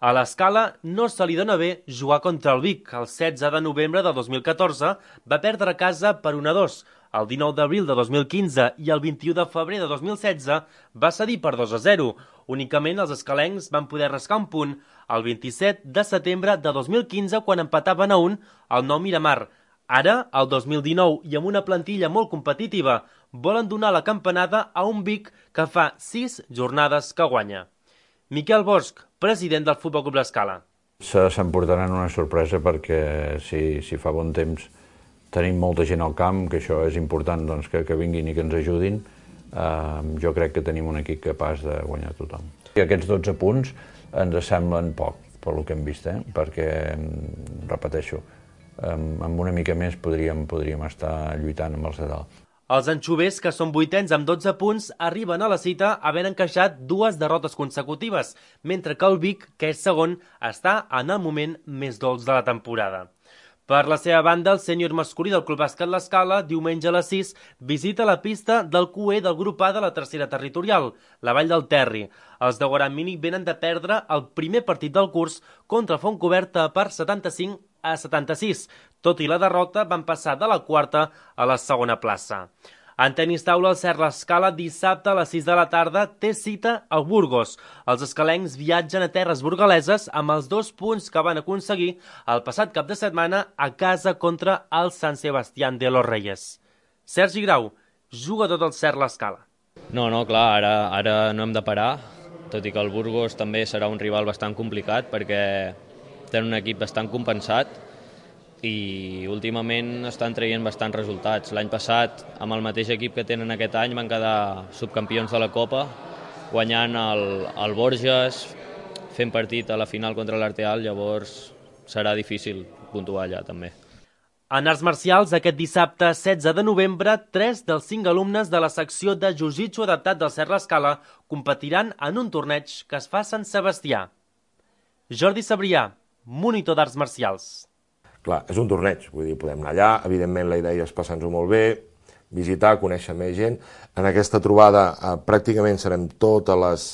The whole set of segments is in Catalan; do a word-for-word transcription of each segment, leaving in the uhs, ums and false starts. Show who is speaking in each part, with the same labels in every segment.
Speaker 1: A l'Escala no se li dona bé jugar contra el Vic. El setze de novembre de dos mil catorze va perdre a casa per un a dos. El dinou d'abril de dos mil quinze i el vint-i-u de febrer de dos mil setze va cedir per dos a zero. Únicament els escalencs van poder rascar un punt el vint-i-set de setembre de dos mil quinze quan empataven a un al Nou Miramar. Ara, el dos mil dinou, i amb una plantilla molt competitiva, volen donar la campanada a un Vic que fa sis jornades que guanya. Miquel Bosch, president del Futbol Club L'Escala.
Speaker 2: S'emportaran una sorpresa perquè si, si fa bon temps tenim molta gent al camp, que això és important doncs, que, que vinguin i que ens ajudin, eh, jo crec que tenim un equip capaç de guanyar tothom. I aquests dotze punts ens semblen poc, per lo que hem vist, eh? Perquè, repeteixo, amb una mica més podríem, podríem estar lluitant amb els de dalt.
Speaker 1: Els anxovers, que són vuitens amb dotze punts, arriben a la cita havent encaixat dues derrotes consecutives, mentre que el Vic, que és segon, està en el moment més dolç de la temporada. Per la seva banda, el sènior masculí del Club Bàsquet L'Escala, diumenge a les sis, visita la pista del Q E del grup A de la tercera territorial, la Vall del Terri. Els de Guaran Mínic venen de perdre el primer partit del curs contra Fontcoberta per setanta-cinc a setanta-sis. Tot i la derrota, van passar de la quarta a la segona plaça. En tenis taula, el Cert L'Escala dissabte a les sis de la tarda té cita al Burgos. Els escalencs viatgen a terres burgaleses amb els dos punts que van aconseguir el passat cap de setmana a casa contra el Sant Sebastián de los Reyes. Sergi Grau, jugador del Cert L'Escala.
Speaker 3: No, no, clar, ara, ara no hem de parar, tot i que el Burgos també serà un rival bastant complicat perquè tenen un equip bastant compensat i últimament estan traient bastants resultats. L'any passat, amb el mateix equip que tenen aquest any, van quedar subcampions de la Copa, guanyant el, el Borges, fent partit a la final contra l'Arteal, llavors serà difícil puntuar allà també.
Speaker 1: En arts marcials, aquest dissabte setze de novembre, tres dels cinc alumnes de la secció de Jiu-Jitsu adaptat del Cert L'Escala competiran en un torneig que es fa a Sant Sebastià. Jordi Sabrià, monitor d'arts marcials.
Speaker 4: Clar, és un torneig, vull dir, podem anar allà, evidentment la idea és passar-nos-ho molt bé, visitar, conèixer més gent. En aquesta trobada eh, pràcticament serem totes les,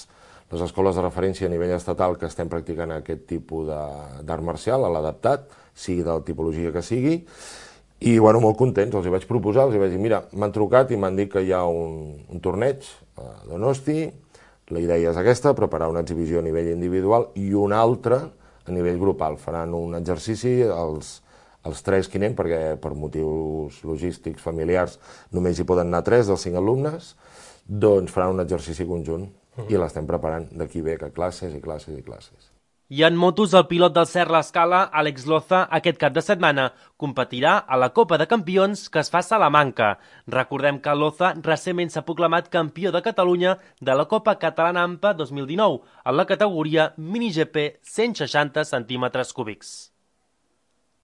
Speaker 4: les escoles de referència a nivell estatal que estem practicant aquest tipus d'art marcial, a l'adaptat, sigui de la tipologia que sigui, i bueno, molt contents, els hi vaig proposar, els hi vaig dir, mira, m'han trucat i m'han dit que hi ha un, un torneig a Donosti, la idea és aquesta, preparar una exhibició a nivell individual i una altra a nivell grupal. Faran un exercici els, els tres que anem, perquè per motius logístics, familiars, només hi poden anar tres dels cinc alumnes, doncs faran un exercici conjunt i l'estem preparant d'aquí ve que classes i classes i classes.
Speaker 1: I en motos, el pilot del Cert L'Escala, Àlex Loza, aquest cap de setmana competirà a la Copa de Campions que es fa a Salamanca. Recordem que Loza recentment s'ha proclamat campió de Catalunya de la Copa Catalana AMPA dos mil dinou en la categoria mini G P cent seixanta centímetres cúbics.